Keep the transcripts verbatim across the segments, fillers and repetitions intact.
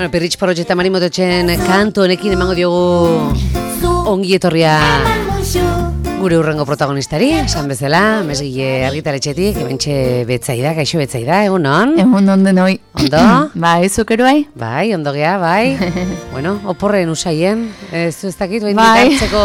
Bueno, Pirritx Porrotx eta Mari Mototxen kantu honekin emango diogu ongi etorria gure urrengo protagonistari, esan bezala, Mesgile argitaletxetik, ebentxe Betsaida, kaixo Betsaida, egun on? Egun on denoi. Ondo? Bai, zukero bai? Bai, ondo gea, bai. Bueno, oporren usaien, ez du ez dakit, bain bai. hartzeko...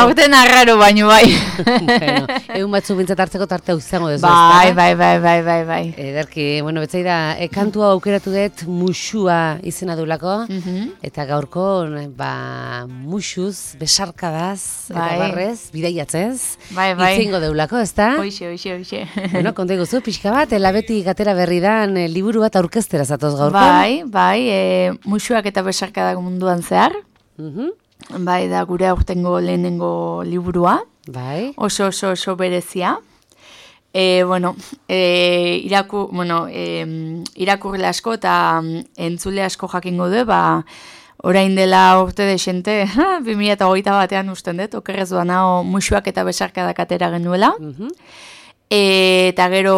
Aurten arraro baino bai. Bueno, egun batzu bintzat hartzeko tarte hau izango dezu, bai, bai, bai, bai, bai, bai. Ederki, bueno, Betsaida, e, kantua aukeratu dut Muxua izena dulako, Mhm. eta gaurko, ba, muxuz, besarkadaz, eta Bai. barrez, bidaiatzez, Bai, bai. itzingo deulako, ezta? Hoixe, hoixe, hoixe. Bueno, konta iguzu, pixka bat, elabetik atera berri dan e, liburu bat aurkeztera zatoz gaurko. Bai, bai, e, musuak eta besarkadak munduan zehar. Mhm. Bai, da gure aurtengo lehenengo liburua. Bai. Oso, oso, oso berezia. E, bueno, e, iraku, bueno, e, irakurle asko eta mm, entzule asko jakingo du, ba, orain dela urte desente, bi mila hogeita batean usten dut, okerrez duan hau musuak eta besarkadak atera genuela. Mhm. E, eta gero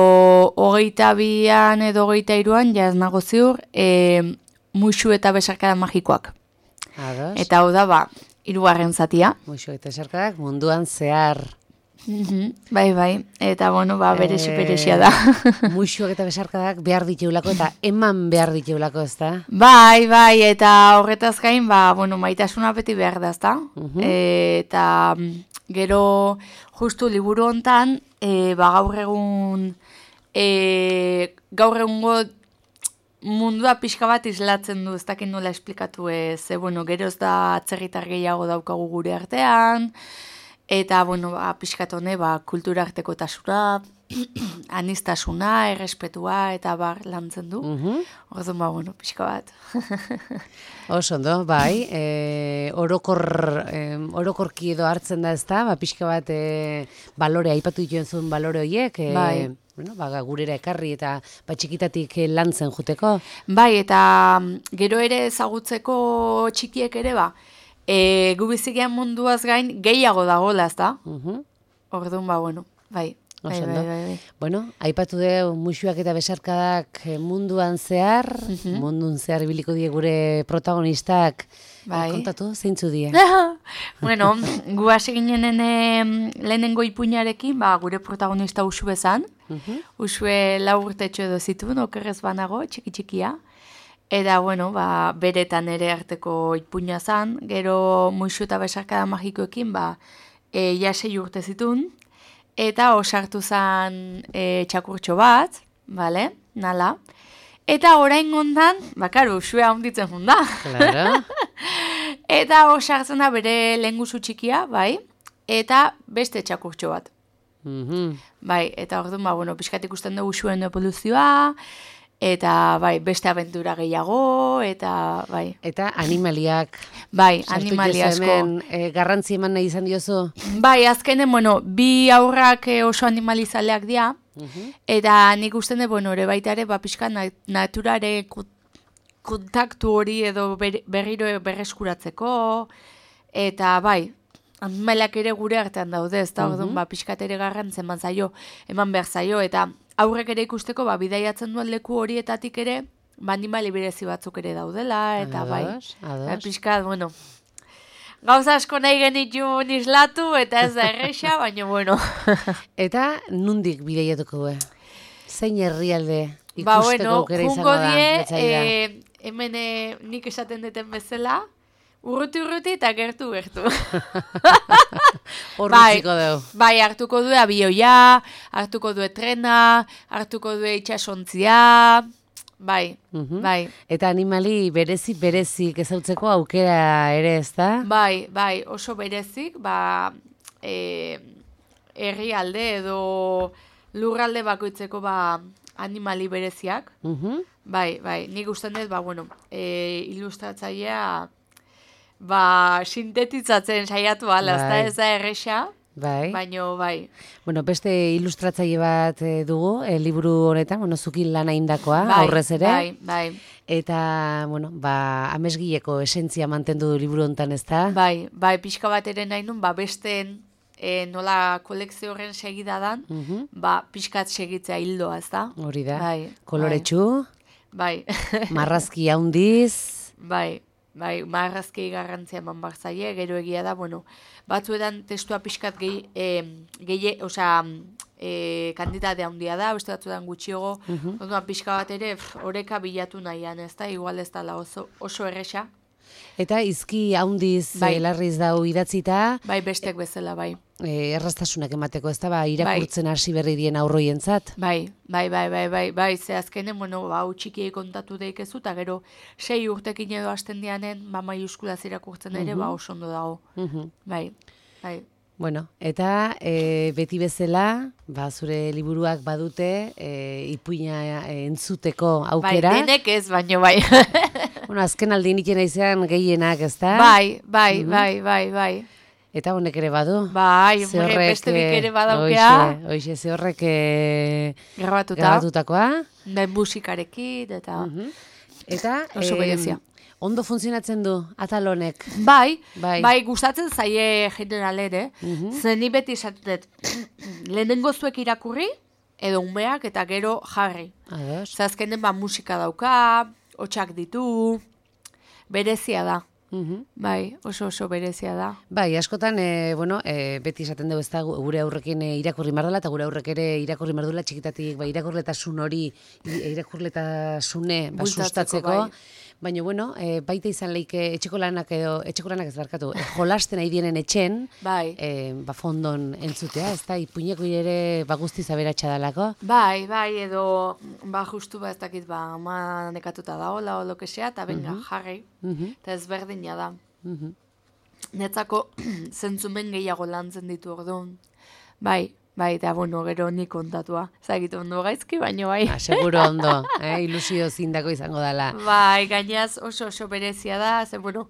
hogeita bian edo hogeita iruan, ja ez nago ziur, e, musu eta besarkada magikoak. Ados. Eta hau da, ba, hirugarren zatia. Muxu eta besarkadak munduan zehar. Mhm, bai, bai, eta bueno, ba, beresi Eh, beresia da. Muxuak eta besarkadak behar diteulako eta eman behar diteulako, ezta? Bai, bai, eta horretaz gain, ba, bueno, maitasuna beti behar da, ezta? Mhm. E, eta mm, gero justu liburu hontan, e, ba, gaur egun, e, gaur egungo mundua pixka bat islatzen du, ez dakit nola esplikatu ez, e, bueno, gero ez da atzerritar gehiago daukagu gure artean, eta, bueno, ba, pixkat hone, ba, kultura arteko tasura, anistasuna, errespetua, eta bar lantzen du. Mhm. Orduan, ba, bueno, pixka bat. Oso ondo, bai, e, orokor, e, orokorki edo hartzen da ezta, ba, pixka bat e, balore, aipatu dituen zuen balore horiek, e, Bai. bueno, ba, gurera ekarri eta ba, txikitatik e, lantzen juteko. Bai, eta mm, gero ere ezagutzeko txikiek ere, ba, e, gu bizikian munduaz gain gehiago dagoela, ez da? Mhm. Orduan, ba, bueno, bai. Bai, Oso bai, ondo. bai, bai. Bueno, aipatu deu musuak eta besarkadak eh, munduan zehar, Mhm. mundun zehar ibiliko die gure protagonistak. Bai. Eh, kontatu, zeintzu die? Bueno, gu hasi ginenen em, lehenengo ipuinarekin, ba, gure protagonista Usu bezan. Mhm. Usue lau urtetxo edo zituen, okerrez banago, txiki-txikia. Eta, bueno, ba, beretan ere arteko ipuina zan. Gero musu eta besarkada magikoekin, ba, e, ja sei urte zituen. Eta osartu zan e, txakurtxo bat, bale, nala. Eta orain ondan, bakar, usue handitzen junda. Claro. Eta osartzen da bere lehengusu txikia, bai, eta beste txakurtxo bat. Mhm. Bai, eta orduan, ba, bueno, pixkat ikusten dugu usuen evoluzioa, eta, bai, beste abentura gehiago, eta, bai, Eta animaliak. bai, sartu animali diozu asko. hemen, eh, garrantzi eman nahi izan diozu. Bai, azkenen, bueno, bi aurrak eh, oso animalizaleak dira, Mhm. eta nik usten dut, bueno, ere baita ere, ba, pixka na naturare ku- kontaktu hori edo ber, berriro berreskuratzeko, eta bai, animaliak ere gure artean daude, ez da, orduan, ba, pixkat ere garrantzen eman zaio, eman behar zaio, eta aurrek ere ikusteko, ba, bidaiatzen duen leku horietatik ere, ba, animali berezi batzuk ere daudela, eta bai, Ados, ados. ba, pixkat, bueno, gauza asko nahi genitun islatu, eta ez da erresa, baina, bueno. Eta nundik bidaiatuko du? Zein herrialde ikusteko Ba, bueno, aukera izango jungo da? die, Betsaida? e, hemen e, nik esaten duten bezala, urruti urruti eta gertu gertu. Hor bai. utziko dugu. Bai, hartuko du abioia, hartuko du trena, hartuko du itxasontzia, bai, Mhm. bai. Eta animali berezi berezik ezautzeko aukera ere, ezta? Bai, bai, oso berezik, ba, e, herrialde edo lurralde bakoitzeko ba, animali bereziak. Mhm. Bai, bai, nik usten dut, ba, bueno, e, ilustratzailea, ba, sintetitzatzen saiatu ala, ezta Bai. ez da erresa, Bai. baino, bai. Bueno, beste ilustratzaile bat eh, dugu, eh, liburu honetan, bueno, zukin lana indakoa, Bai, aurrez ere. Bai, bai, Eta, bueno, ba, amesgileko esentzia mantendu du liburu honetan, ezta? bai, bai, pixka bat ere nahi nun, ba, besteen e, nola kolekzio horren segida dan, Mhm. ba, pixkat segitzea hildoa, ez da? Hori da. Bai, Koloretsu, Bai. marrazki handiz, bai, bai, marrazki garrantzia eman bar zaie, gero egia da, bueno, batzuetan testua pixkat gehi, e, gehi, osea, e, kantitate handia da, beste batzuetan gutxiago, uh-huh. Ondoan pixka bat ere, pff, oreka bilatu nahian, ez da, igual ez da oso, oso erresa. Eta izki haundiz bai. Larriz dau idatzita. Bai, bestek bezala, bai. E, erraztasunak emateko, ez da, ba, irakurtzen hasi bai. Berri dien aurroientzat. Bai, bai, bai, bai, bai, bai, ze azkenen, bueno, ba, txikiei kontatu deikezu, eta gero, sei urtekin edo hasten dianen, ba, maiuskulaz irakurtzen ere, uh-huh. ba, oso ondo dago. Uh-huh. Bai, bai. Bueno, eta e, beti bezala, ba, zure liburuak badute, e, ipuina entzuteko aukera. Bai, denek ez, baino bai. Bueno, azken aldi nikena izan gehienak, ez da? Bai, bai, mm-hmm. bai, bai, bai. Eta honek ere badu? Bai, horrek, beste bik ere badaukea. Oixe, oixe, ze horrek grabatuta. grabatutakoa. Bai, musikarekin, eta... Mm-hmm. Eta... Oso berezia. Ondo funtzionatzen du, atal honek. Bai, bai, bai, gustatzen zaie generalere. Mm-hmm. Zen ni beti esatet, lehenengo zuek irakurri, edo umeak, eta gero jarri. Ados. Zazkenen ba musika dauka, hotxak ditu, berezia da. Mm-hmm. Bai, oso oso berezia da. Bai, askotan, e, bueno, e, beti esaten dugu ez da gure aurrekin e, irakurri mardula, eta gure aurrek ere irakurri mardula txikitatik, ba, irakurletasun hori, irakurletasune ba, sustatzeko. Bai. Baina, bueno, e, baita izan leike etxeko lanak edo, etxeko lanak ez barkatu, e, jolasten nahi dienen etxen, bai. e, ba, fondon entzutea, ez da, ipuineko ere ba, guztiz aberatsa dalako. Bai, bai, edo, ba, justu ba, ez dakit, ba, ama nekatuta da, hola, o lokesea, eta benga, uh-huh. jarri, uh-huh. eta ez berdina da. Uh-huh. Netzako, zentzumen gehiago lantzen ditu orduan, bai, bai, eta, bueno, gero nik kontatua. Zagitu ondo gaizki, baino bai. Ah, seguro ondo, eh? Ilusio zindako izango dela. Bai, gainaz oso oso berezia da, ze, bueno,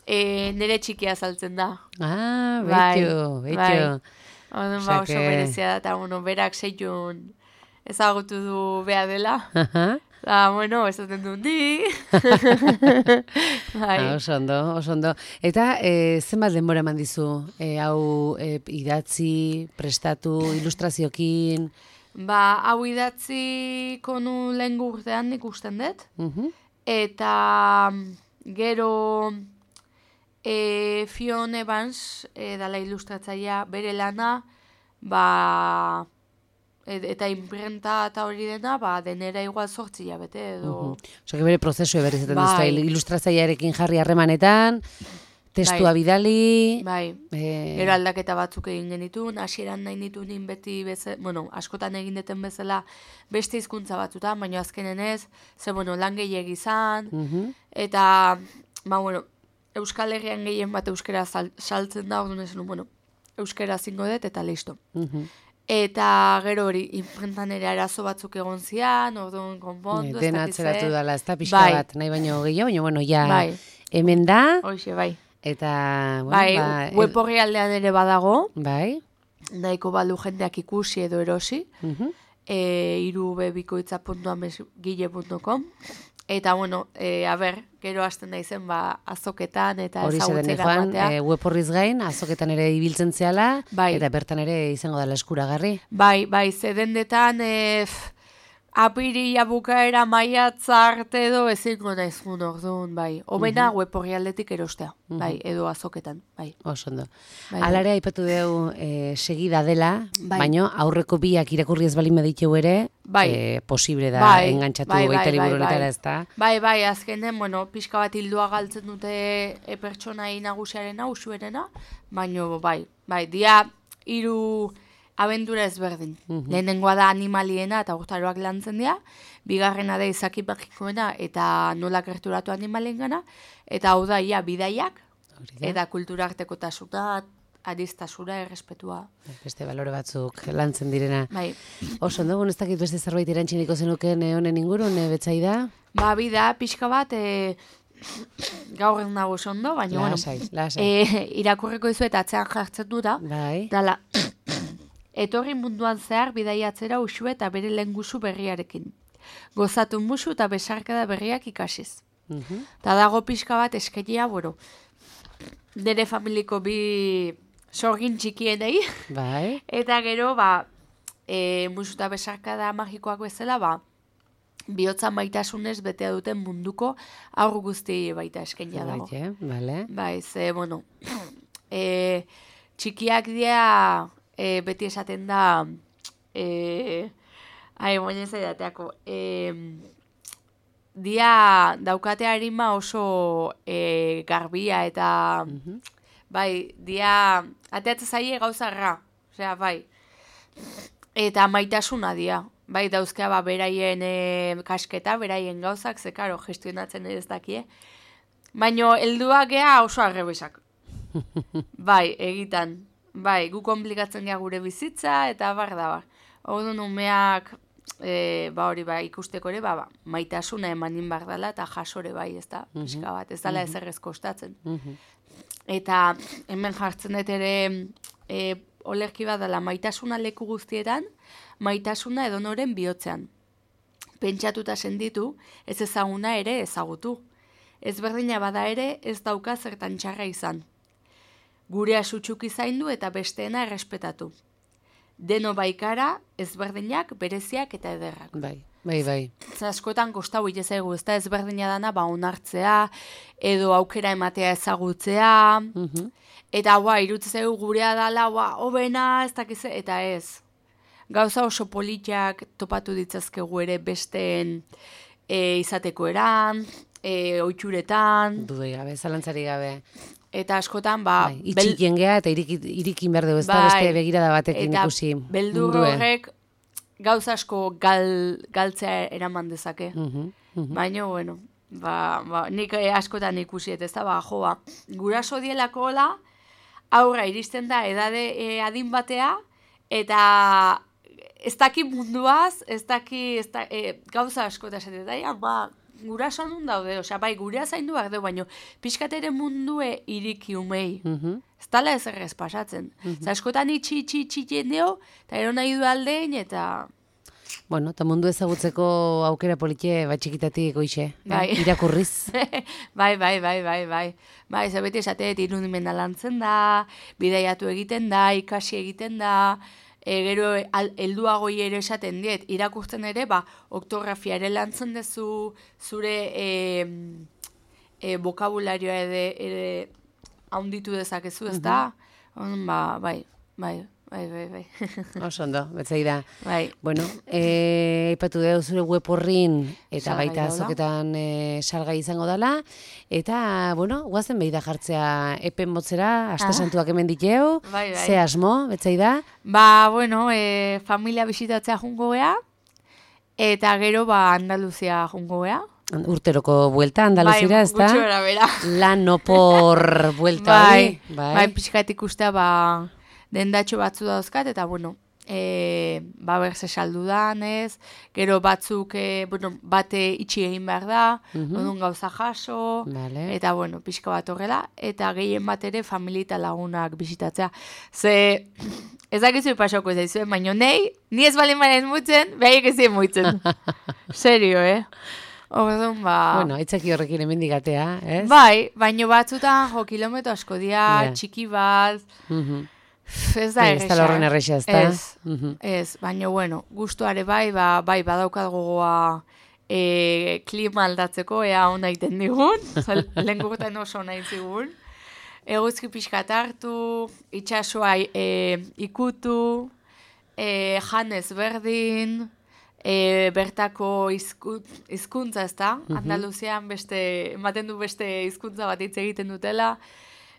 e, nire txikia saltzen da. Ah, betxo, bai, betxo. Bai, Oden, ba, oso berezia da, eta, bueno, berak seiun ezagutu du beha dela. Aha. Da, bueno, esaten du di. Bai. Ah, oso ondo, oso ondo. Eta e, zenbat denbora eman dizu? E, hau e, idatzi, prestatu, ilustraziokin? Ba, hau idatzi konu lehen urtean ikusten dut. Uh-huh. Eta gero e, Fion Evans, e, dala ilustratzaia, bere lana, ba... eta imprenta eta hori dena, ba, denera igual zortzi jabete edo... Uh-huh. Oso, bere prozesu eber izaten bai. Duzta, ilustratzaiarekin jarri harremanetan, testua bai. Bidali... Bai, e... gero aldaketa batzuk egin genitun, hasieran nahi nitun beti bezala, bueno, askotan egin deten bezala beste hizkuntza batzutan, baina azkenen ez, ze, bueno, lan gehiagi izan, uh-huh. eta, ba, bueno, Euskal Herrian gehien bat euskera sal, saltzen da, orduan esan, bueno, euskera zingo dut, eta listo. Uh-huh. Eta gero hori, imprentan ere arazo batzuk egon zian, orduan konpondu, ez dena atzeratu dela, ez da pixka bai. Bat, nahi baino gehiago, baina, bueno, ja, bai. Hemen da. Hoxe, bai. Eta, bueno, bai, ba... web horri aldean ere badago. Bai. Nahiko balu jendeak ikusi edo erosi. Uh-huh. E, irubebikoitza puntu amesgile puntu com. Eta, bueno, e, a ber, gero hasten da izen, ba, azoketan eta ezagutzera batea. E, web horriz gain, azoketan ere ibiltzen zehala, bai. Eta bertan ere izango dela eskuragarri. Bai, bai, zedendetan, e, apiria bukaera maiatza arte edo ezingo naizun orduan, bai. Obena uh-huh. web horri aldetik erostea, uh-huh. bai, edo azoketan, bai. Osondo. Bai, alare aipatu dugu e, segida dela, bai. Baino aurreko biak irakurri ez balin baditeu ere, bai. E, posible da bai. Engantzatu bai, bai, baita liburu honetara ez da. Bai, bai, azkenen, bueno, pixka bat hildua galtzen dute e, pertsonai nagusiarena, usuerena, baino, bai, bai, dia hiru abentura ezberdin. Uh-huh. Lehenengoa da animaliena eta urtaroak lantzen dira, bigarrena da izaki magikoena eta nola gerturatu animalien gana, eta hau da ia bidaiak, eta kulturarteko tasuna, aristasura, errespetua. Beste balore batzuk lantzen direna. Bai. Oso, ondo, ez dakit beste zerbait erantxiniko zenuken honen ingurun, e, betzaida? Ba, bida, pixka bat, e, gaur ez nago ondo, baina, lasai, bueno, lasai. E, irakurriko izu eta atzean jartzen du da. Bai. Dala, etorri munduan zehar bidaiatzera usu eta bere lengusu berriarekin. Gozatu musu eta besarkada berriak ikasiz. Uh-huh. Ta dago pixka bat eskenia, bueno, nire familiko bi sorgin txikienei. Bai. Eta gero, ba, e, musu eta besarkada magikoak bezala, ba, bihotza maitasunez betea duten munduko aur guzti baita eskenia dago. Baite, vale. Bai, ze, bueno, e, txikiak dira e, beti esaten da, e, ai, moinen zaidateako, e, dia daukate harima oso e, garbia eta, mm-hmm. bai, dia ateatze zaie gauzarra, osea, bai, eta maitasuna dia. Bai, dauzkea ba, beraien e, kasketa, beraien gauzak, ze karo, gestionatzen ez dakie. Baina, helduak gea oso arrebesak. Bai, egitan. Bai, gu komplikatzen gea gure bizitza, eta bar da, bar. Orduan umeak, e, ba hori, ba, ikusteko ere, ba, ba, maitasuna emanin bar dela, eta jasore bai, ez da, mm-hmm. pixka bat, ez dela mm-hmm. ezer ez kostatzen. Mm-hmm. Eta hemen jartzen dut ere, e, olerki bat dela, maitasuna leku guztietan, maitasuna edonoren bihotzean. Pentsatuta senditu, ez ezaguna ere ezagutu. Ezberdina bada ere ez dauka zertan txarra izan. Gure asutxuki zaindu eta besteena errespetatu. Deno baikara, ezberdinak, bereziak eta ederrak. Bai, bai, bai. Askotan kostau itezaigu, ez da ezberdina dana ba onartzea, edo aukera ematea ezagutzea, mm-hmm. eta ba, irutzeu gurea dala, ba, hobena, ez dakize, eta ez. Gauza oso politiak topatu ditzazkegu ere besteen e, izateko eran, e, oitxuretan. Dudoi gabe, zalantzari gabe. Eta askotan, ba... Bai, itxikien geha eta irikin, irikin behar dugu, ez da bai, beste begirada batekin ikusi. Eta beldur horrek gauza asko gal, galtzea eraman dezake. Uh-huh, uh-huh. Baina, bueno, ba, ba, nik askotan ikusi, ez da, ba, joa, guraso dielako hola, aurra iristen da edade e, adin batea, eta... Ez daki munduaz, ez daki ez da, e, gauza asko eta esaten da, ba, guraso nun daude, osea, bai, gurea zaindu behar dugu, baina pixkatere mundue iriki umei. Mm-hmm. Ez tala ez errez pasatzen. Mm-hmm. Askotan itxi, itxi, itxi jendeo, eta ero nahi du aldein, eta... Bueno, eta mundu ezagutzeko aukera politie bat txikitatik goixe, bai. eh? Irakurriz. bai, bai, bai, bai, bai. Bai, ez beti esateet irudimena lantzen da, bidaiatu egiten da, ikasi egiten da... E, gero helduagoi ere esaten diet, irakurtzen ere, ba, oktografia ere lantzen dezu, zure e, e, bokabularioa ere, ere haunditu dezakezu, ez da? Mm-hmm. Ba, bai, bai, bai, bai, bai. Oso ondo, betzai da. Bai. Bueno, aipatu e, dugu zure web horrin, eta salgai baita azoketan e, salgai izango dela, eta, bueno, guazen behi da jartzea epen motzera, aste santuak hemen diteu, bai, bai. Ze asmo, betzai da? Ba, bueno, e, familia bisitatzea jungo gea, eta gero, ba, Andaluzia jungo gea. Urteroko buelta Andaluzira, bai, ez da? Bai, gutxo bera, bera. Lan opor buelta hori. Bai, bai, bai pixkat ikustea, ba, dendatxo batzu dauzkat, eta, bueno, e, ba, berze saldu danez, gero batzuk, e, bueno, bate itxi egin behar da, mm-hmm. odun gauza jaso, vale. Eta, bueno, pixka bat horrela, eta gehien bat ere familia eta lagunak bisitatzea. Ze, ez dakizu pasoko ez daizuen, baina nei, ni ez balen baren mutzen, behaiek ez zien mutzen. Serio, eh? Orduan, ba... Bueno, aitzaki horrekin emendigatea, ez? Bai, baino batzutan, jo, kilometro asko dia, yeah. Txiki bat... Mm-hmm. Ez da erresa. Ez da horren erresa, ez da? Ez, mm-hmm. ez, baina, bueno, gustuare bai, ba, bai, badaukat gogoa e, klima aldatzeko, ea hona iten digun, lehen gurten oso hona itzigun. Eguzki pixkat hartu, itxasua e, ikutu, e, janez berdin, e, bertako hizkuntza ez da, mm-hmm. Andaluzian beste, ematen du beste hizkuntza bat hitz egiten dutela,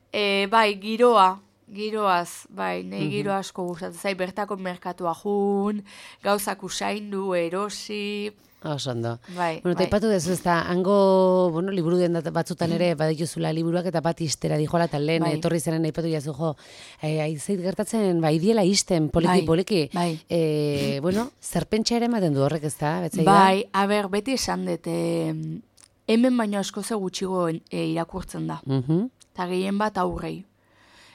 e, bai, giroa, Giroaz, bai, nahi giro asko gustatzen zai, bertako merkatua jun, gauzak usaindu, erosi... Oso ondo. Bai, bueno, bai. Taipatu dezu, ez da, hango, bueno, liburu den batzutan ere, badituzula liburuak eta bat istera dijoala, eta lehen, bai. Etorri zenen naipatu jazu, jo, eh, aizait gertatzen, bai, diela isten, poliki, poliki. Bai, bai. Eh, bueno, zerpentsa ere ematen du horrek, ez da, betzai da? Bai, a ber, beti esan dut, eh, hemen baino asko ze gutxigo eh, irakurtzen da. Eta uh-huh. gehien bat aurrei.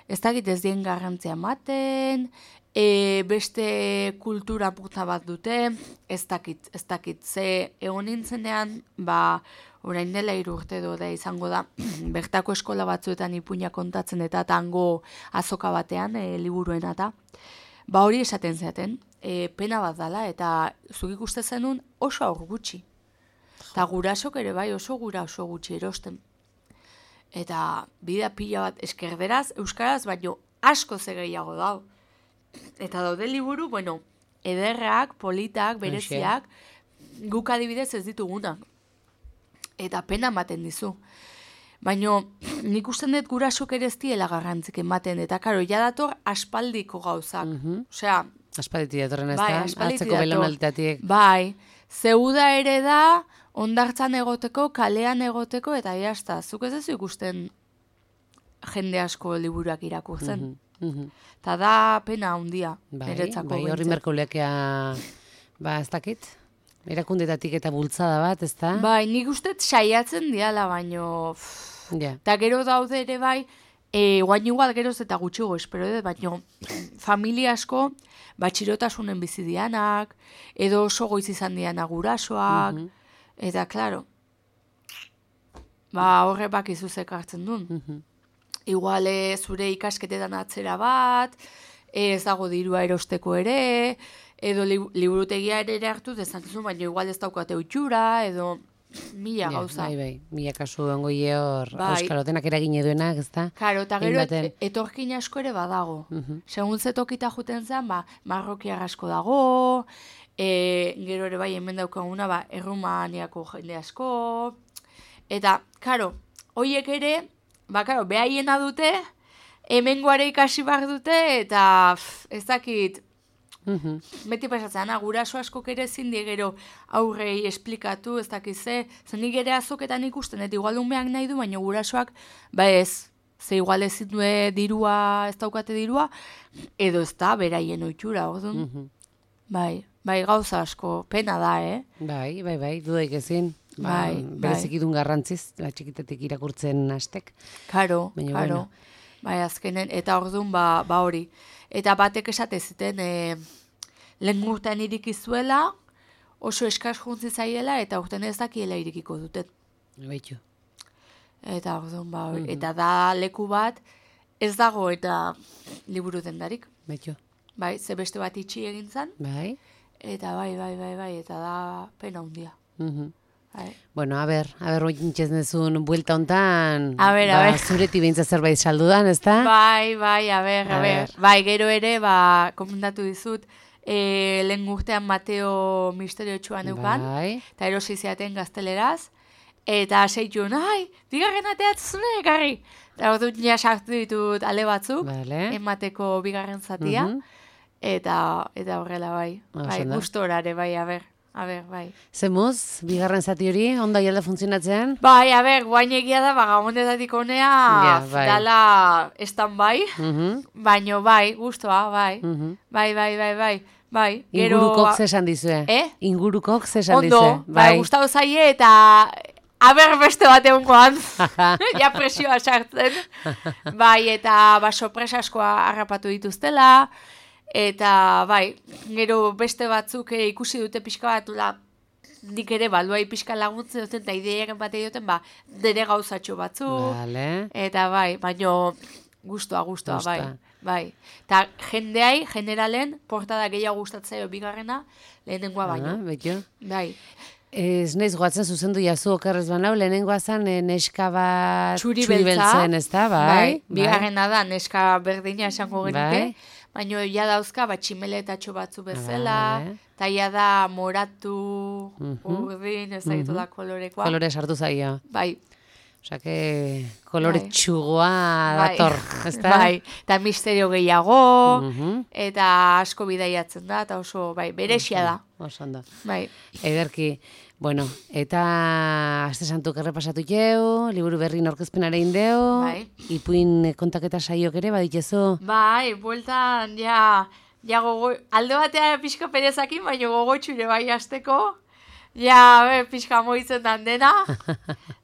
Ez dakit ez dien garrantzia ematen, e, beste kultura puta bat dute, ez dakit, ez dakit. Ze egon nintzenean, ba, orain dela hiru urte do da izango da, bertako eskola batzuetan ipuina kontatzen eta tango azoka batean, e, liburuen eta, ba hori esaten zaten, e, pena bat dala, eta zuk ikuste zenun oso aur gutxi. Eta gurasok ere bai oso gura oso gutxi erosten. Eta bida pila bat eskerderaz, euskaraz, baino asko ze gehiago dau. Eta daude liburu, bueno, ederrak, politak, bereziak, guk adibidez ez ditugunak. Eta pena ematen dizu. Baina nik usten dut gurasok ere ez diela garrantzik ematen, eta karo, ja dator aspaldiko gauzak. Mhm. Osea, Aspalditik datorren ez bai, da, aspalditik atzeko dator. belaunalditatik. Bai, zeuda ere da, ondartzan egoteko, kalean egoteko, eta jazta, zuk ez duzu ikusten jende asko liburuak irakurtzen. Mhm, mhm. Eta da pena handia, Bai, niretzako bai, horri behintzat. merkoleakea, ba, ez dakit, erakundetatik eta bultzada bat, ez da? Bai, nik uste saiatzen diala, baino... Ja. Eta gero daude ere bai, e, guain igual geroz eta gutxigo espero dut, baino familia asko batxirotasunen bizi dianak, edo oso goiz izan dianak gurasoak, Mhm. eta klaro, ba horre bakizu zekartzen duen. Mhm. Igual eh, zure ikasketetan atzera bat, eh, ez dago dirua erosteko ere, edo li, liburutegia ere hartu dezakezu, baina igual ez daukate utxura, edo mila Ja, gauza. bai, bai, mila kasu ongoie hor, Bai. auskalotenak eragine duenak, ez da? Karo, eta gero Hainbaten. et, etorkin asko ere badago. Mhm. Segun ze tokita juten zen, ba, marrokiar asko dago, e, gero ere bai hemen daukaguna, ba, Errumaniako jende asko, eta, karo, hoiek ere, ba, karo, behaiena dute, hemengoare ikasi behar dute, eta pff, ez dakit, Mhm. beti pasatzen, guraso askok ere ezin die gero aurrei esplikatu, ez dakiz ze, zen nik ere azoketan ikusten, eta igual umeak nahi du, baina gurasoak, ba ez, ze igual ezin du dirua, ez daukate dirua, edo ez da, beraien oitxura, orduan. Mhm. Bai, bai, gauza asko, pena da, eh? Bai, bai, bai, dudaik ezin. Ba, Bai, bai. berezikidun garrantziz, ba, txikitetik irakurtzen hastek. Karo, Baina, karo. bueno. Bai, azkenen, eta orduan, ba, ba hori. Eta batek esate zuten, e, lehen urtean irikizuela, oso eskaz juntzi zaiela, eta urtean ez dakiela irikiko duten. Baitu. Eta orduan, ba, hori. Eta da leku bat, ez dago eta liburu dendarik. Baitu. Bai, ze beste bat itxi egin zan, Bai. eta bai, bai, bai, bai, eta da pena handia. Mhm. Bai. Bueno, a ber, a ber, ointxez nezun buelta hontan, A ber, a ba, ber. zureti behintzat zerbait saldudan, ez da? Bai, bai, a ber, a A ber. ber. Bai, gero ere, ba, komentatu dizut, e, lehen urtean Mateo misterio txuan eukan, Bai. eta erosi ziaten gazteleraz, eta seitun, ai, bigarren ateatzune ekarri. Eta hor dut ja sartu ditut ale batzuk, Vale. emateko bigarren zatia, Mhm. eta eta horrela bai. Ah, Bai, oso ondo. gustorare, bai, a ber, a ber, bai. Zemuz, bigarren zati hori, ondo jalda funtzionatzean? Bai, a ber, guain egia da, bagabondetatik honea, Ja, bai. dala stand-by, Mhm. baino bai, gustoa, bai. Mhm. Bai, bai, bai, bai, bai. Ingurukok zesan dizue. Eh? Ingurukok zesan Ondo, dizue. bai, gustatu zaie eta aber beste bat egungoan. Ja presioa sartzen. Bai, eta ba, sorpresa askoa harrapatu dituztela. Eta bai, gero beste batzuk eh, ikusi dute pixka bat, la, nik ere baluai pixka laguntzen duten, eta ideiaren bat duten, ba, dere gauzatxo batzuk. Vale. Eta bai, baino gustoa, gustoa, Gustoa. bai. Bai. Ta jendeai, generalen, portada gehiago gustatzaio bigarrena, lehenengoa baino. Ah, baitu. Bai. Ez naiz goatzen zuzendu jazu okerrez banau, lehenengoa zan eh, neska bat Txuri txuri beltza. beltzen, ez da, bai? Bai. Bigarrena da, neska berdina esango genuke. Bai. Baino ja dauzka, bat tximeletatxo batzu bezala, Vale. eta ja da moratu, Mhm. urdin, ez da da kolorekoa. Kolore sartu zaio. Bai. Osa que kolore Bai. txugoa Bai. dator, ez da? Bai, eta misterio gehiago, Mhm. eta asko bidaiatzen da, eta oso, bai, berexia da. Oso ondo. Bai. Ederki, bueno, eta aste santuk errepasatu jau, liburu berri aurkezpenara indeu, Bai. ipuin kontaketa saiok ere baditezu. Bai, bueltan, ja, ja gogo, alde batea pixka perezakin, baina gogotxure bai azteko, ja, be, pixka moitzen dan dena.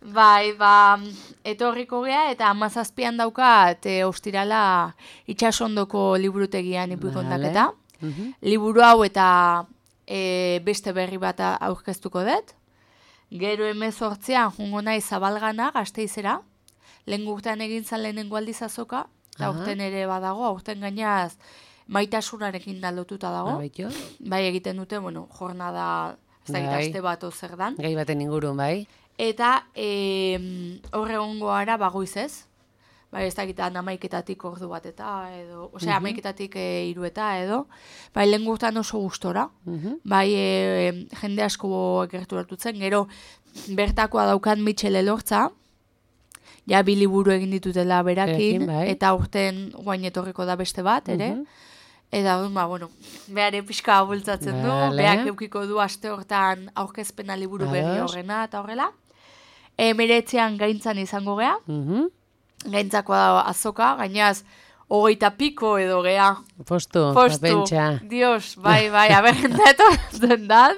Bai, ba, etorriko gea, eta amazazpian daukat, e, ostirala itxasondoko liburutegian ipuin Vale. kontaketa. Mhm. Liburu hau eta e, beste berri bat aurkeztuko dut. Gero hemezortzian jungo nahi Zabalgana, Gasteizera. Lehen urtean egin zan lehenengo aldiz azoka, eta Aha. aurten ere badago, aurten gainaz maitasunarekin da lotuta dago. Baitu. Bai egiten dute, bueno, jornada ez da Bai. aste bat zer dan. Gai baten ingurun, bai. Eta e, horre gongo ara bagoiz ez. Bai, ez dakit amaiketatik ordu bat eta edo, osea, amaiketatik e, iru eta edo. Bai, lehen gurtan oso gustora. Mhm. Bai, e, jende asko gerturatu zen. Gero, bertakoa daukan Mitxel Elortza, ja bi liburu egin ditutela berakin, Berakin, bai. eta urten guain etorriko da beste bat, ere. Mhm. Eta, ba, bueno, behar epizka bultzatzen du, Vale. behar eukiko du aste hortan aurkezpena liburu berri Ados. horrena eta horrela. E, meretzean gaintzan izango gea, Mhm. gaintzakoa da azoka, gainaz, hogeita piko edo gea. Postu, Postu, papentxa. Dios, bai, bai, aberrendatu zendan.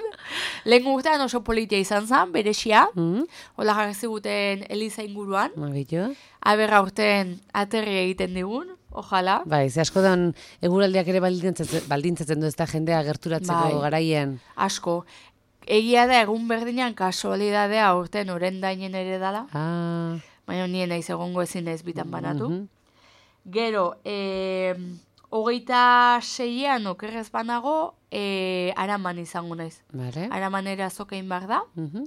Lehen urtean oso politia izan zen, beresia, Mhm. hola jarri ziguten Eliza inguruan, Magillo. aberra urten aterri egiten digun, ojala. Bai, ze asko dan eguraldiak ere baldintzatzen, baldintzatzen du ez da jendea gerturatzeko Bai. garaien. Asko. Egia da egun berdinan kasualidadea urten orendainen ere dala, Ah. baina nien naiz egongo ezin ez bitan banatu. Mhm. Gero, e, hogeita seian okerrez banago, e, araman izango naiz. Vale. Aramanera azokein behar da, Mhm.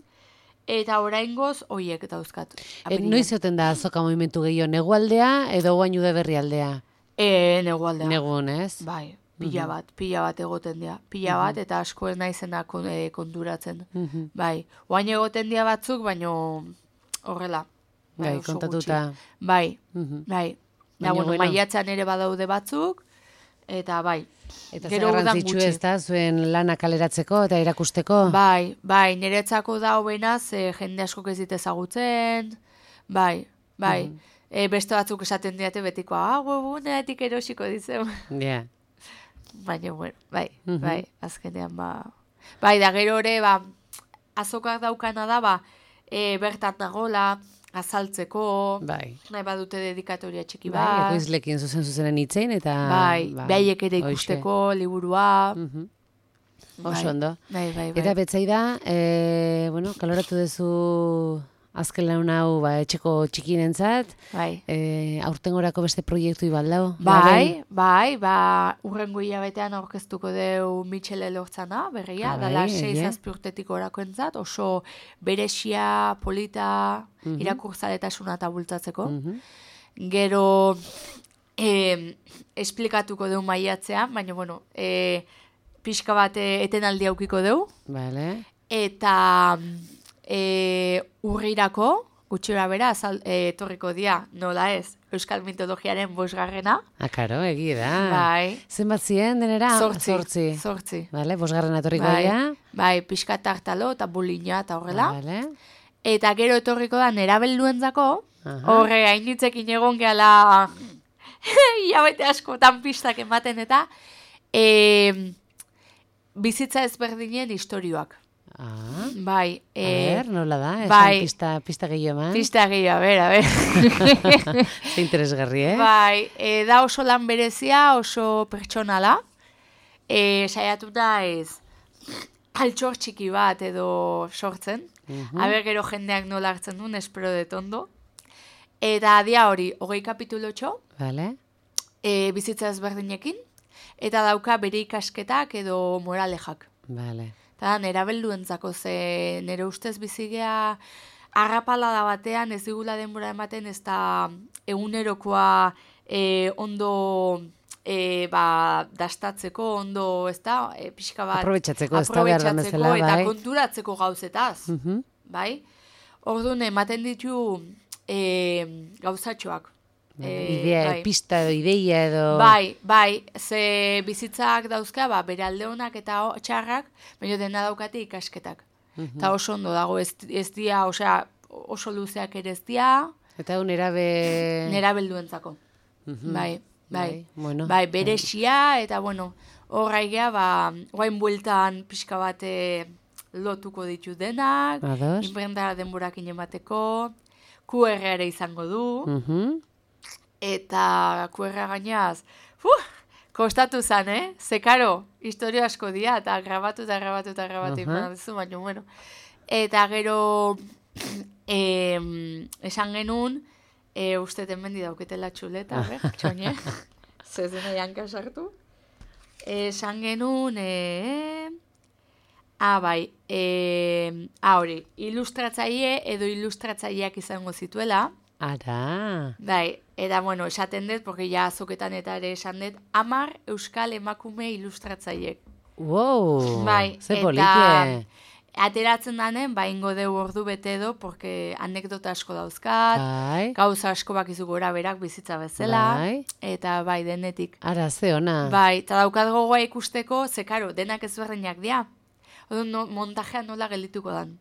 eta oraingoz hoiek dauzkat. E, apirilean. noiz oten da azoka movimentu gehiago, negualdea edo guain ude berri aldea? E, negualdea. Negun, ez? Bai, pila bat, pila bat egoten dira. Pila bat, eta asko ez naizena kon, e, konturatzen. Mhm. Bai, oain egoten dira batzuk, baino horrela. Bai, oso kontatuta. gutxi. Bai, Mhm. bai. Baina, Da, bueno, bueno. maiatzan ere badaude batzuk, eta bai. Eta Gero zer udan garrantzitsu gutxi. ez da, zuen lana kaleratzeko eta irakusteko? Bai, bai, niretzako da hobena, ze jende askok ez dit ezagutzen, bai, bai. E, beste batzuk esaten diate betikoa, ah, webuneatik erosiko dizen. Ja. Baina, bueno, bai, Mhm. bai, azkenean, ba... Bai, da gero ere, ba, azokak daukana da, ba, e, bertan nagola, azaltzeko, Bai. nahi badute dedikatoria txiki Bai, bat, ekoizlekin zuzen zuzenen hitzein eta... bai, ba, behaiek ere hoxe. ikusteko, liburua, Mhm. Oso bai, ondo. bai, bai, bai. Eta betzai da, e, bueno, kaloratu duzu azken lan hau ba, etxeko txikinentzat, bai. e, aurtengorako beste proiektu ibaldau? Bai, bai, ba, urrengo hilabetean aurkeztuko deu Mitxel Elortzana, berria, Ah, bai, dala sei egia. zazpi urtetik orako entzat, oso beresia, polita, Mhm. irakurzaletasuna eta bultzatzeko. Mhm. Gero, eh, esplikatuko deu maiatzean, baina, bueno, eh, pixka bat eh, etenaldi aukiko deu, Vale. eta e, urrirako, gutxura bera, azal, e, etorriko dia, nola ez, Euskal Mitologiaren bosgarrena. Ah, karo, egi da. Bai. Zenbat ziren denera? Zortzi. Zortzi. Zortzi. Vale, bosgarren atorriko Bai, dira. bai, pixka tartalo eta bulina eta horrela. Vale. Eta gero etorriko da nerabelduentzako, Aha. horre hainitzekin egon gehala hilabete askotan pistak ematen eta e, bizitza ezberdinen istorioak. Ah, Bai, a e, ver, nola da? Esan bai. pista, pista gehiago eman. pista gehiago, a ber, a ber. Ze interesgarri, eh? Bai, e, da oso lan berezia, oso pertsonala. E, saiatu da ez altxor txiki bat edo sortzen. Mhm. Aber gero jendeak nola hartzen duen, espero dut ondo. Eta dia hori, hogei kapitulotxo, Vale. e, bizitza ezberdinekin, eta dauka bere ikasketak edo moralejak. Vale. Eta nera belduentzako, ze nire ustez bizigea arrapalada batean ez digula denbora ematen, ez da egunerokoa e, ondo e, ba, dastatzeko, ondo, ez da, e, pixka bat... Aprobetxatzeko, ez da behar da aprobetxatzeko bezala, eta bai. konturatzeko gauzetaz, Mhm. bai? Orduan, ematen ditu e, gauzatxoak. E, Idea, bai. pista edo ideia edo... Bai, bai, ze bizitzak dauzka, ba, bere alde honak eta o- txarrak, baina dena daukate ikasketak. Eta oso ondo dago, ez, ez dia, osea, oso luzeak ere ez dia, Eta hau nerabe... nera belduentzako. Mhm. Bai, bai, Bai, bueno. bai, beresia, eta bueno, horraigea, ba, guain bueltan pixka bate lotuko ditu denak, Ados. inprentara denborakin emateko, Q R ere izango du, Mhm. eta Q R gainaz, uh, kostatu zan, eh? Zekaro, historia asko dia, eta grabatu eta grabatu eta grabatu Aha. uh -huh. baina, bueno. Eta gero, em, esan genuen, e, uste temendi dauketela txuleta, ber, txoine, zezena janka sartu. Esan genuen, e, Ah, bai, e, ah, hori, ilustratzaile edo ilustratzaileak izango zituela. Ara. Bai, eta, bueno, esaten dut, porque ja azoketan eta ere esan dut, hamar euskal emakume ilustratzaileek. Wow, bai, ze eta politie. ateratzen danen, ba, ingo deu ordu bete edo, porque anekdota asko dauzkat, Bai. gauza asko bakizu gora berak bizitza bezala, Bai. eta bai, denetik. Ara, ze ona. Bai, eta daukat gogoa ikusteko, ze karo, denak ezberdinak dira. Odo, no, montajea nola geldituko dan.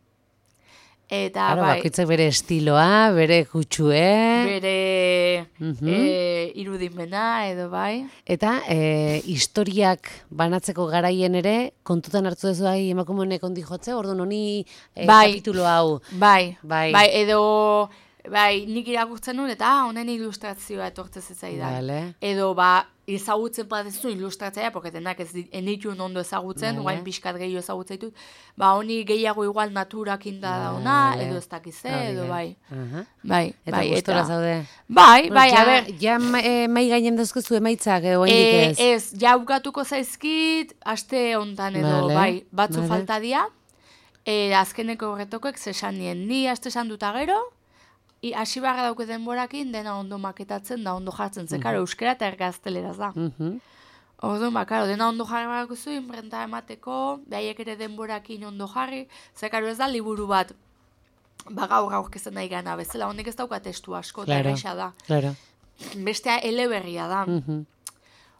Eta, Claro, bai, bakoitzak bere estiloa, bere kutsue. bere Mhm. e, irudimena, edo bai. Eta e, historiak banatzeko garaien ere, kontutan hartu duzu bai emakumenek ondi jotze, orduan honi e, Bai. kapitulo hau. Bai, Bai. bai, edo, bai, nik irakurtzen nuen, eta ah, honen ilustrazioa etortzen zitzaidan. Vale. Edo, ba, ezagutzen badezu ilustratzaia, porque denak ez dit- enitun ondo ezagutzen, Vale. guain pixkat gehiago ezagutzen ditut, ba, honi gehiago igual naturakin da dauna, Vale. edo ez dakize, Hori edo da. bai. Aha. Bai, Eta bai, gustora zaude. Bai, Bueno, bai, ja, a ber, Ja ma- e, mai gainen dauzkazu emaitzak, edo e, ez? ez, jaukatuko zaizkit, aste hontan edo, Vale, bai, batzu vale. falta dia, e, azkeneko horretokoek zesan nien, ni aste esan duta gero, I, hasi barra dauke denborakin, dena ondo maketatzen da, ondo jartzen, ze, karo, euskera eta ergazteleraz da. Mhm. Orduan, ba, karo, dena ondo jarri barako zu, inprenta emateko, behaiek ere denborakin ondo jarri, ze, karo, ez da liburu bat, ba, gaur aurkezten nahi gana, bezala, honek ez dauka testu asko, eta Claro, erresa da. claro. Bestea eleberria da. Mhm.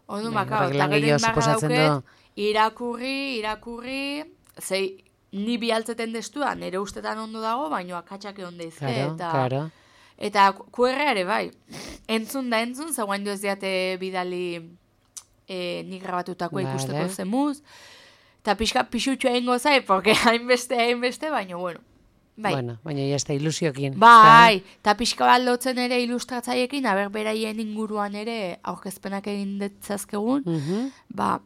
Orduan, Bai, ba, karo, horrek eta lan gero gehiago inbarra suposatzen dauket, du. irakurri, irakurri, zei, ni bialtzeten destua, nire ustetan ondo dago, baino akatxake ondo izke, Claro, eta... claro. Eta Q R ere bai, entzun da entzun, zagoen ez diate bidali e, nik grabatutako Vale. ikusteko zemuz. Eta pixka pixutxo egingo zai, porque hainbeste, hainbeste, baina bueno. Bai, Bueno, baina ya está ilusiokin. bai, eta pixka bat lotzen ere ilustratzaiekin, aber beraien inguruan ere aurkezpenak egin detzazkegun, Mhm. ba,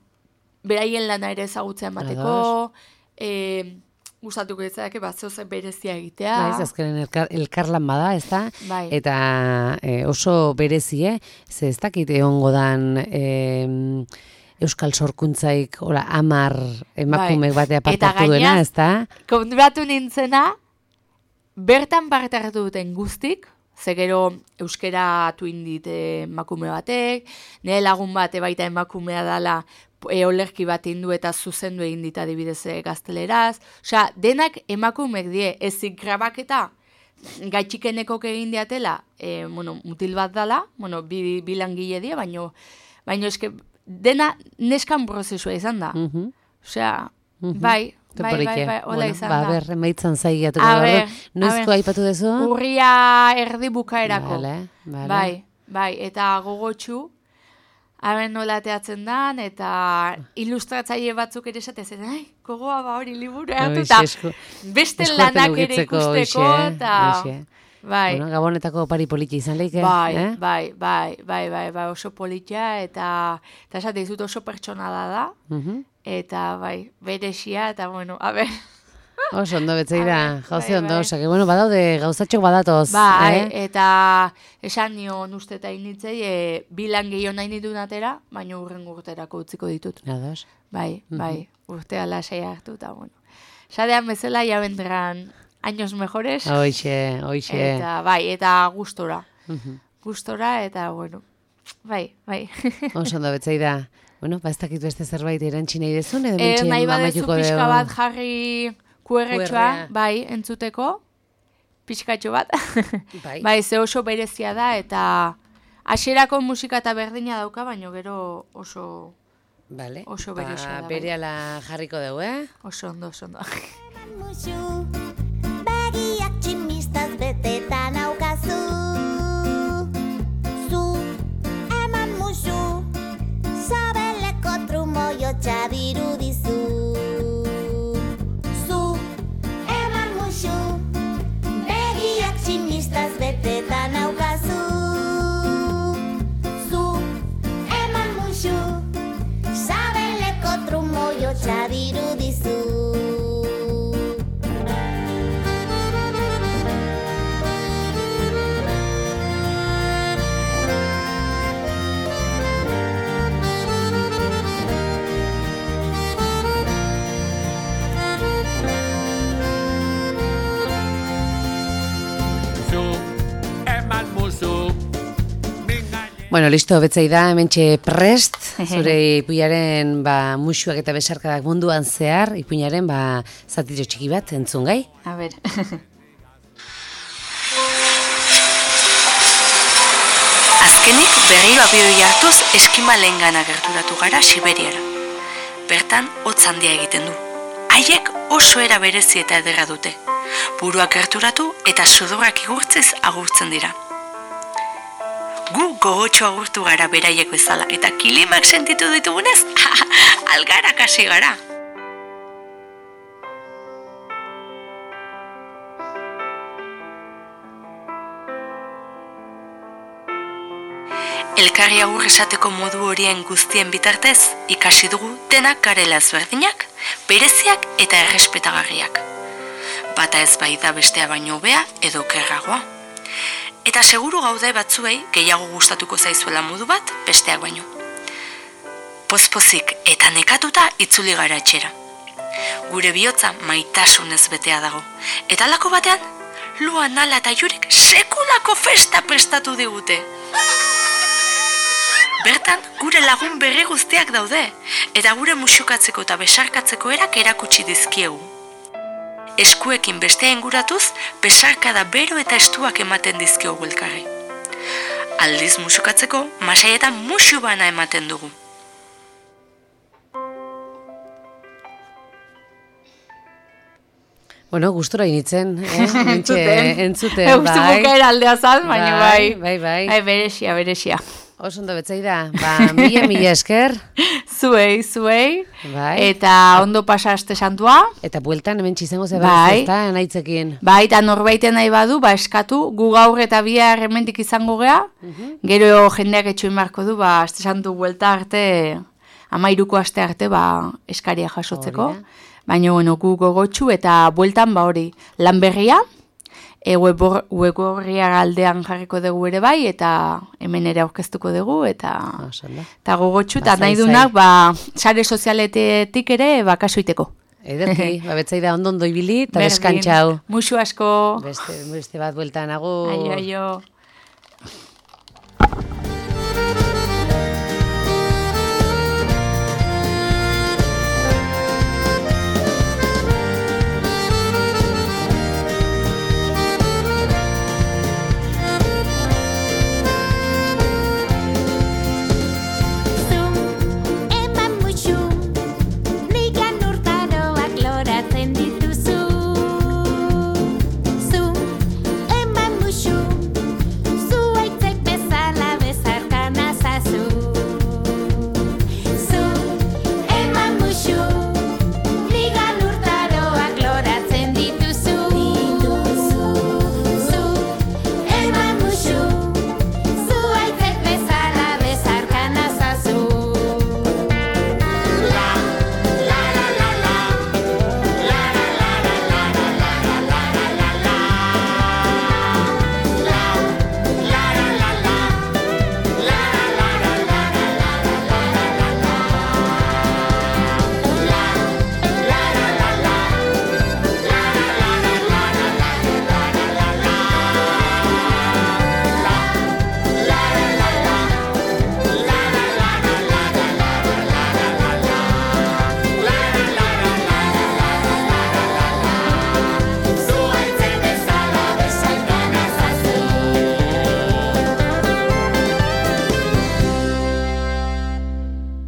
beraien lana ere ezagutzea emateko, e, gustatuko ditzake, bat zehoze berezia egitea. Bai, ez azkenen elkar, elkarlan bada, ez da? Bai. Eta e, oso berezie, ze ez dakit egongo dan e, Euskal Sorkuntzaik, ora, amar emakumek Bai. batea Eta partatu duena, gainaz, ez da? Konturatu nintzena, bertan parte hartu duten guztik, ze gero euskera tuindit emakume batek, nire lagun bat baita emakumea dala e, olerki bat indu eta zuzendu egin dit adibidez e, gazteleraz. Osea, denak emakumek die, ezik grabaketa gaitxikenekok egin diatela, e, bueno, mutil bat dala, bueno, bi, bi langile die, baino, baino eske, dena neskan prozesua izan da. Mhm. Osea, Mhm. bai, Te bai, polike. bai, bai, hola Bueno, izan ba, da. ber, emaitzan zaigiatuko A da. ber, Noizko a ber. aipatu duzu? Urria erdi bukaerako. Vale, vale. Bai, bai, eta gogotsu, haben nola teatzen dan, eta ilustratzaile batzuk ere esatez, ai, gogoa ba hori liburu hartu, eta Hoxe, esku- beste eskuartean lanak ere ukitzeko, ikusteko, hoxe, eta... hoxe. Bai, Bueno, Gabonetako pari politi izan leike, bai, eh? bai, bai, bai, bai, bai, oso politia, eta, eta esate dizut oso pertsonala da, Mhm. eta bai, beresia, eta bueno, a ber... Oso ondo betzei da, Bai, jauzi ondo, bai. osak, bueno, badaude gauzatxok badatoz, Bai, eh? eta esan nion uste eta initzei, e, bilan gehiago nahi nituen atera, baina urren urterako utziko ditut. Ados. Bai, bai, urtea lasai hartu, eta bueno. Sadean bezala, ya vendrán años mejores, Hoxe, hoxe. eta bai, eta gustora. Mhm. Gustora, eta bueno, bai, bai. Oso ondo betzei da. Bueno, ba ez dakit beste zerbait erantzi nahi dezun, edo E, mentxe nahi badezu amaituko pixka dugu. bat jarri Q R-txoa, Q R-a. bai, entzuteko, pixkatxo bat. Bai. Bai, ze oso berezia da, eta hasierako musika eta berdina dauka, baino gero oso, Vale. oso Ba, berezia da, bai. berehala jarriko dugu, eh? oso ondo, oso ondo. Musu, begiak tximistaz beteta naukazu. Zu, eman musu, sabeleko trumoio txadiru dizu. Zu, eman musu, begiak tximistaz beteta naukazu. Zu, eman musu, sabeleko trumoio txadiru dizu. Bueno, listo, betzai da, hementxe prest, zure ipuinaren ba, musuak eta besarkadak munduan zehar, ipuinaren ba, zatitxo txiki bat, entzun gai? A ber. Azkenik berriro abioi hartuz eskimalengana gerturatu gara Siberiara. Bertan, hotz handia egiten du. Haiek oso era berezi eta ederra dute. Buruak gerturatu eta sudurrak igurtzez agurtzen dira. Gu gogotxo agurtu gara beraiek bezala eta kilimak sentitu ditugunez, algarak hasi gara. Elkarri agur esateko modu horien guztien bitartez, ikasi dugu denak garela ezberdinak, bereziak eta errespetagarriak. Bata ez bai da bestea baino hobea edo okerragoa. Eta seguru gaude batzuei gehiago gustatuko zaizuela modu bat besteak baino. Pozpozik eta nekatuta itzuli gara etxera. Gure bihotza maitasunez betea dago. Eta halako batean, Lua, Nala eta Jurik sekulako festa prestatu digute. Bertan, gure lagun berri guztiak daude, eta gure musukatzeko eta besarkatzeko erak erakutsi dizkiegu. Eskuekin bestea inguratuz, besarkada bero eta estuak ematen dizkiogu elkarri. Aldiz musukatzeko, masaietan musu bana ematen dugu. Bueno, gustura initzen, eh? Entzuten. Entzuten, Eustu bai. bukaera aldea zan, baina bai. Bai, bai. Bai, beresia, beresia. Oso ondo betzai da, ba, mila, mila esker. Zuei, zuei. Bai. Eta ondo pasa aste santua. Eta bueltan hemen txizango ze Bai. ez da, naitzekin. Bai, eta norbaiten nahi badu, ba eskatu, gu gaur eta bihar hemendik izango gea, gero jendeak etxoin marko du, ba, aste santu buelta arte, amairuko aste arte, ba, eskaria jasotzeko. Hori da. Baina, bueno, gu gogotxu eta bueltan, ba hori, lan berria, e, webgorria aldean jarriko dugu ere bai, eta hemen ere aurkeztuko dugu, eta, Oso ondo. eta gogotxu, Ba, eta nahi zai, dunak, ba, sare sozialetetik ere, ba, kasuiteko. Ederki, ba, betzai da ondo ondo ibili, eta Berdin. deskantxau. Musu asko. Beste, beste bat bueltan, agur. Aio, aio.